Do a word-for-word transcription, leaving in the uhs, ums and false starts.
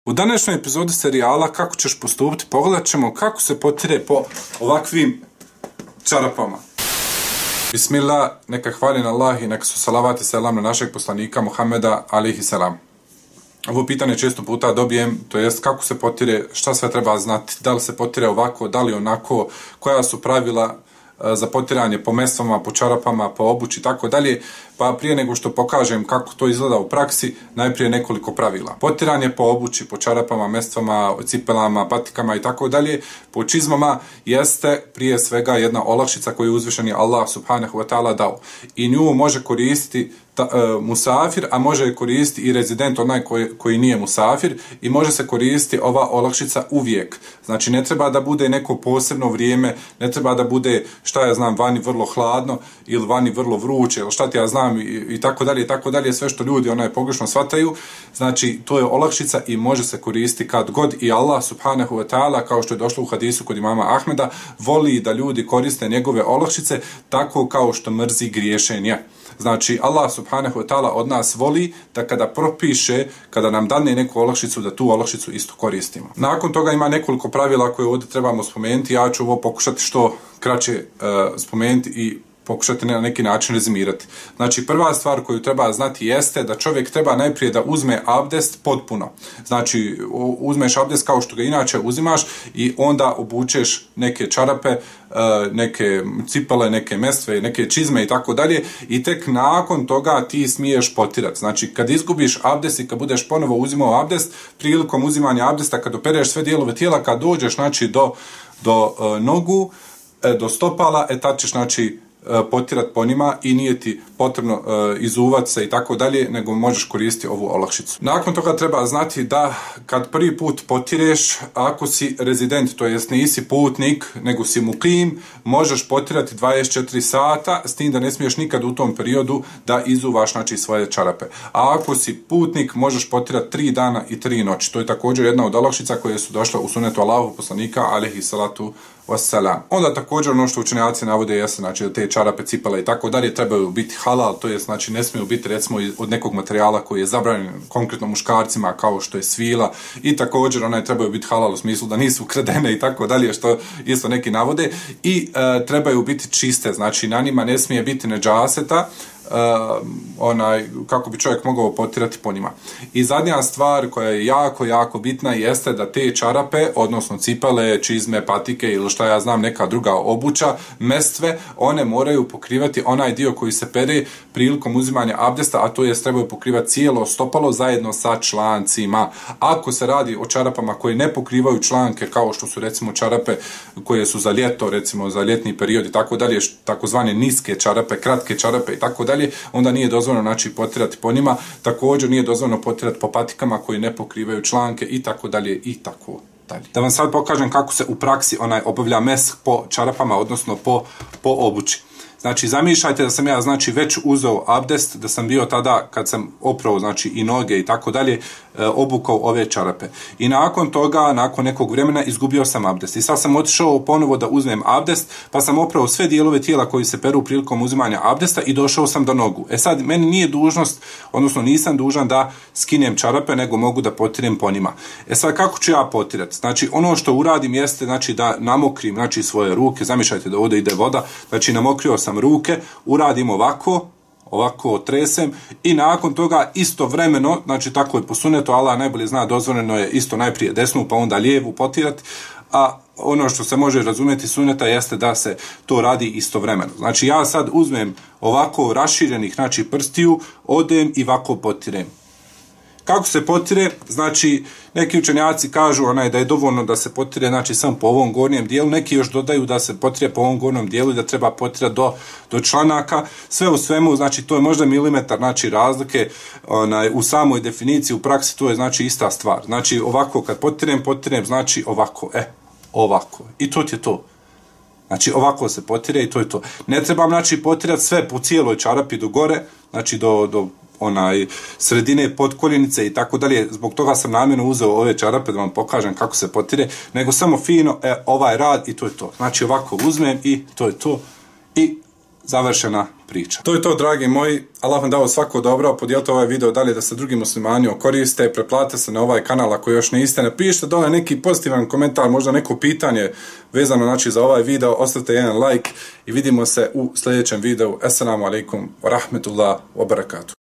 U današnjoj epizodi serijala Kako ćeš postupiti pogledat ćemo kako se potire po ovakvim čarapama. Bismillah, neka hvaljen Allah i neka su salavat i selam na našeg poslanika Muhammeda alihi selam. Ovo pitanje često puta dobijem, to jest kako se potire, šta sve treba znati, da li se potire ovako, da li onako, koja su pravila za potiranje po mestvama, po čarapama, po obući i tako dalje. Pa prije nego što pokažem kako to izgleda u praksi, najprije nekoliko pravila. Potiranje po obući, po čarapama, mestvama, cipelama, patikama i tako dalje, po čizmama jeste prije svega jedna olakšica koju je uzvišeni Allah subhanahu wa ta'ala dao. I nju može koristiti ta, uh, musafir, a može je koristiti i rezident, onaj koji, koji nije musafir, i može se koristiti ova olakšica uvijek. Znači ne treba da bude neko posebno vrijeme, ne treba da bude, šta ja znam, vani vrlo hladno ili vani vrlo vruće ili šta ti ja znam, i, i tako dalje i tako dalje, sve što ljudi onaj pogrešno shvataju. Znači to je olakšica i može se koristiti kad god, i Allah subhanahu wa ta'ala, kao što je došlo u hadisu kod imama Ahmeda, voli da ljudi koriste njegove olakšice tako kao što mrzi griješenje. Znači Allah subhanahu wa ta'ala od nas voli da kada propiše, kada nam dane neku olakšicu, da tu olakšicu isto koristimo. Nakon toga ima nekoliko pravila koje ovdje trebamo spomenuti. Ja ću ovo pokušati što kraće uh, spomenuti i pokušati na neki način rezimirati. Znači, prva stvar koju treba znati jeste da čovjek treba najprije da uzme abdest potpuno. Znači, uzmeš abdest kao što ga inače uzimaš i onda obučeš neke čarape, neke cipele, neke mestve, neke čizme i tako dalje, i tek nakon toga ti smiješ potirati. Znači, kad izgubiš abdest i kad budeš ponovo uzimao abdest, prilikom uzimanja abdesta, kad opereš sve dijelove tijela, kad dođeš, znači, do, do nogu, do stopala, e tad ćeš, znači, potirat po njima i nije ti potrebno uh, izuvat se i tako dalje, nego možeš koristiti ovu olakšicu. Nakon toga treba znati da kad prvi put potireš, ako si rezident, to jest nisi putnik, nego si mukim, možeš potirati dvadeset četiri sata, s tim da ne smiješ nikad u tom periodu da izuvaš, znači, svoje čarape. A ako si putnik, možeš potirati tri dana i tri noći. To je također jedna od olakšica koje su došle u sunetu Allahu poslanika alejhi salatu wassalam. Onda također ono što učenjaci navode jeste, znači, da te čarape, cipele i tako dalje trebaju biti halal, to je, znači, ne smiju biti recimo od nekog materijala koji je zabranjen konkretno muškarcima, kao što je svila, i također one trebaju biti halal u smislu da nisu ukradene i tako dalje, što isto neki navode, i e, trebaju biti čiste, znači na njima ne smije biti nedžaseta, Uh, onaj, kako bi čovjek mogao potirati po njima. I zadnja stvar koja je jako, jako bitna jeste da te čarape, odnosno cipele, čizme, patike ili šta ja znam, neka druga obuća, mestve, one moraju pokrivati onaj dio koji se pere prilikom uzimanja abdesta, a to jest trebaju pokrivati cijelo stopalo zajedno sa člancima. Ako se radi o čarapama koje ne pokrivaju članke, kao što su recimo čarape koje su za ljeto, recimo za ljetni period i tako dalje, takozvane niske čarape, kratke čarape i tako dalje, onda nije dozvoljeno, znači, potirati po njima. Također nije dozvoljeno potirati po patikama koji ne pokrivaju članke i tako dalje i tako dalje. Da vam sad pokažem kako se u praksi onaj obavlja mesh po čarapama, odnosno po, po obući. Znači, zamišljajte da sam ja, znači, već uzeo abdest, da sam bio tada, kad sam oprao, znači, i noge i tako dalje, obukao ove čarape. I nakon toga, nakon nekog vremena, izgubio sam abdest. I sad sam otišao ponovo da uzmem abdest, pa sam oprao sve dijelove tijela koji se peru prilikom uzimanja abdesta i došao sam do nogu. E sad, meni nije dužnost, odnosno nisam dužan da skinem čarape, nego mogu da potirem po njima. E sad, kako ću ja potirati? Znači, ono što uradim jeste, znači, da namokrim, znači, svoje ruke. Zamišljajte da ovdje ide voda. Znači, namokrio sam ruke, uradim ovako, ovako tresem, i nakon toga istovremeno, znači tako je po sunetu, Allah najbolje zna, dozvoljeno je isto najprije desnu pa onda lijevu potirati, a ono što se može razumjeti suneta jeste da se to radi istovremeno. Znači ja sad uzmem ovako raširenih, znači, prstiju, odem i ovako potirem. Kako se potire? Znači, neki učenjaci kažu onaj da je dovoljno da se potire, znači, samo po ovom gornjem dijelu, neki još dodaju da se potire po ovom gornjem dijelu i da treba potirati do, do članaka. Sve u svemu, znači, to je možda milimetar, znači, razlike onaj, u samoj definiciji, u praksi to je, znači, ista stvar. Znači, ovako kad potirem, potirem, znači, ovako, e, ovako. I to je to. Znači, ovako se potire i to je to. Ne trebam, znači, potirati sve po cijeloj čarapi do gore, znači, do, do onaj sredine potkoljenice i tako dalje. Zbog toga sam namjerno uzeo ove čarape da vam pokažem kako se potire, nego samo fino, e, ovaj rad i to je to. Znači, ovako uzmem i to je to. I završena priča. To je to, dragi moji. Allah vam dao svako dobro. Podijelite ovaj video dalje da se drugi muslimani koriste. Preplatite se na ovaj kanal ako još niste. Napišite dole neki pozitivan komentar, možda neko pitanje vezano znači za ovaj video. Ostavite jedan like i vidimo se u sljedećem videu. Assalamu alaikum wa rahmetullah wa barakatuh.